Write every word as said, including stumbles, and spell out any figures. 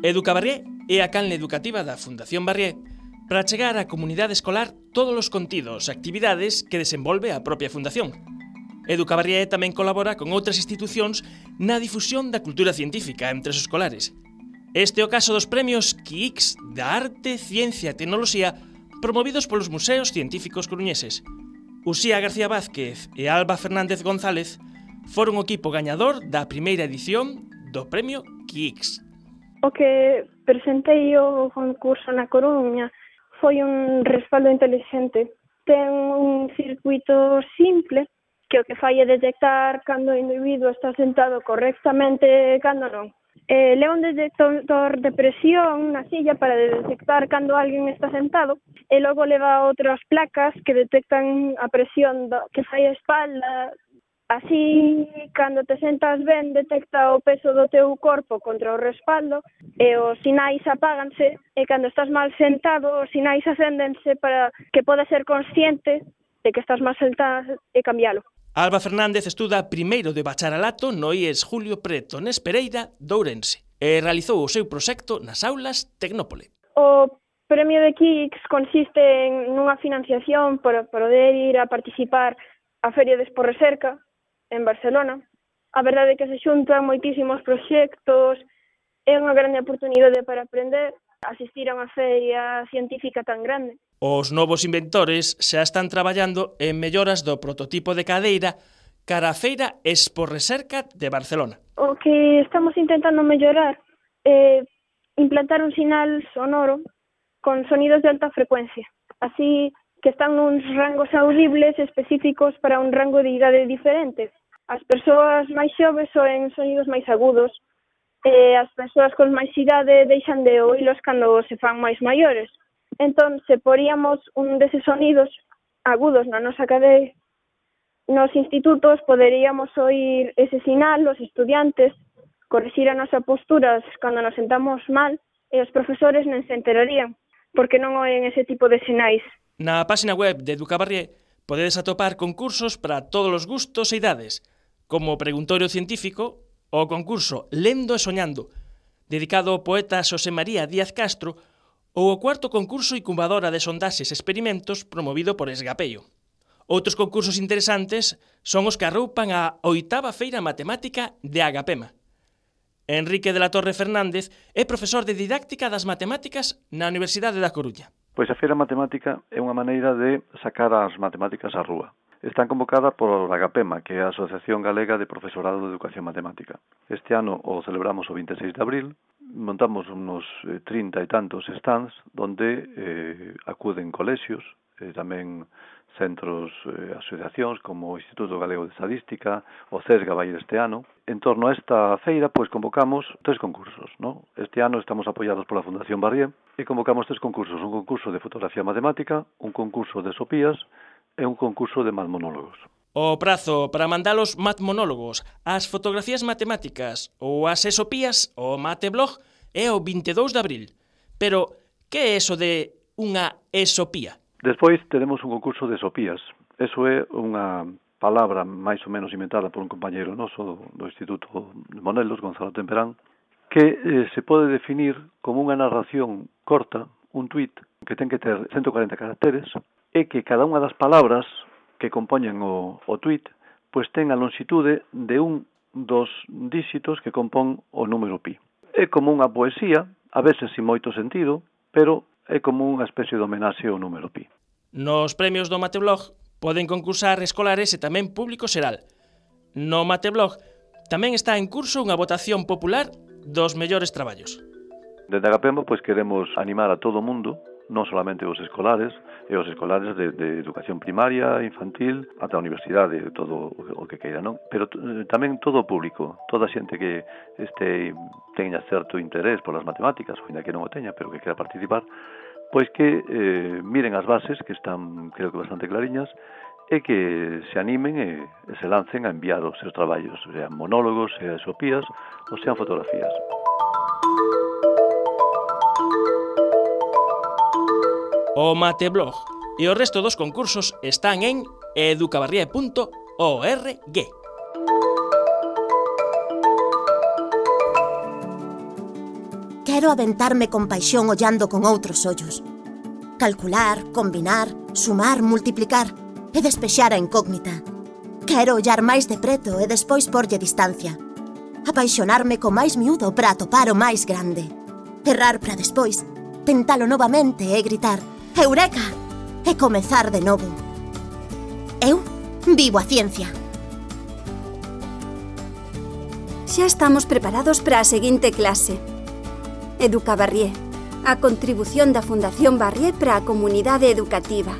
Educabarrié é a canle educativa da Fundación Barrié para chegar á comunidade escolar todos os contidos e actividades que desenvolve a propia Fundación. Educabarrié tamén colabora con outras institucións na difusión da cultura científica entre os escolares. Este é o caso dos premios Q I X da Arte, Ciencia e Tecnoloxía promovidos polos museos científicos coruñeses. Uxía García Vázquez e Alba Fernández González foron o equipo gañador da primeira edición do premio Q I X. O que presentei o concurso na Coruña foi un respaldo inteligente. Ten un circuito simple que o que fai é detectar cando o individuo está sentado correctamente e cando non. Eh, leva un detector de presión na silla para detectar cando alguén está sentado e logo leva outras placas que detectan a presión do, que fai a espalda. Así, cando te sentas ben, detecta o peso do teu corpo contra o respaldo e os sinais apáganse e cando estás mal sentado, os sinais acéndense para que podas ser consciente de que estás mal sentado e cambialo. Alba Fernández estuda primeiro de bacharelato no I E S Julio Preto Nes Pereira de Ourense e realizou o seu proxecto nas aulas Tecnópole. O premio de Q I X consiste en unha financiación para poder ir a participar á Feria de Expo Recerca en Barcelona. A verdade é que se xuntan moitísimos proxectos, é unha grande oportunidade para aprender, asistir a unha feria científica tan grande. Os novos inventores xa están traballando en melloras do prototipo de cadeira cara a Feira Expo Recerca de Barcelona. O que estamos intentando mellorar é implantar un sinal sonoro con sonidos de alta frecuencia, así que están nuns rangos audibles específicos para un rango de idade diferente. As persoas máis xoves oen sonidos máis agudos e as persoas con máis idade deixan de oílos cando se fan máis maiores. Entón, se poríamos un deses sonidos agudos na nosa cadeira, nos institutos poderíamos oír ese sinal, os estudiantes, corrixir a nosa postura cando nos sentamos mal e os profesores non se enterarían, porque non oen ese tipo de sinais. Na página web de Educabarrié podedes atopar concursos para todos os gustos e idades, como o preguntorio científico, o concurso Lendo e Soñando, dedicado ao poeta Xosé María Díaz Castro, ou o cuarto concurso Incubadora de Sondaxes e Experimentos promovido por Esgapeio. Outros concursos interesantes son os que arroupan a oitava Feira Matemática de Agapema. Enrique de la Torre Fernández é profesor de didáctica das matemáticas na Universidade da Coruña. Pois a Feira Matemática é unha maneira de sacar as matemáticas á rúa. Están convocadas por Agapema, que é a Asociación Galega de Profesorado de Educación Matemática. Este ano o celebramos o veintiséis de abril, montamos unos trinta e tantos stands donde eh, acuden colexios, eh, tamén centros, eh, asociacións como o Instituto Galego de Estadística, o CESGA vai este ano. En torno a esta feira, pois convocamos tres concursos, ¿no? Este ano estamos apoiados pola Fundación Barrié e convocamos tres concursos, un concurso de fotografía matemática, un concurso de sopías e un concurso de matmonólogos. O prazo para mandalos matmonólogos, as fotografías matemáticas ou as esopías, o mateblog, é o vinte e dous de abril. Pero, que é eso de unha esopía? Despois teremos un concurso de esopías. Eso é unha palabra máis ou menos inventada por un compañeiro noso do, do Instituto de Monelos, Gonzalo Temperán, que eh, se pode definir como unha narración corta, un tuit, que ten que ter ciento cuarenta caracteres, e que cada unha das palabras que compoñen o, o tuit pois ten a longitude de un dos díxitos que compón o número pi. É como unha poesía, a veces sin moito sentido, pero é como unha especie de homenaxe ao número pi. Nos premios do Mateblog poden concursar escolares e tamén público xeral. No Mateblog tamén está en curso unha votación popular dos mellores traballos. Desde Agapema, pois queremos animar a todo o mundo, non solamente os escolares, e os escolares de, de educación primaria, infantil, ata a universidade, todo o que queira, non? Pero eh, tamén todo o público, toda a xente que este teña certo interés polas matemáticas, ou ainda que non o teña, pero que quera participar, pois que eh, miren as bases, que están, creo que bastante clariñas, e que se animen e, e se lancen a enviar os seus traballos, sean monólogos, sean esopías, ou sean fotografías. O Mateblog e o resto dos concursos están en educabarrié punto org. Quero Quero aventarme con paixón ollando con outros ollos. Calcular, combinar, sumar, multiplicar e despexar a incógnita. Quero ollar máis de preto e despois porlle distancia. Apaixonarme co máis miúdo para atopar o máis grande. Errar para despois, tentalo novamente e gritar «Eureka!» e comezar de novo. Eu vivo a ciencia. Xa estamos preparados para a seguinte clase. Educa Barrié, a contribución da Fundación Barrié para a comunidade educativa.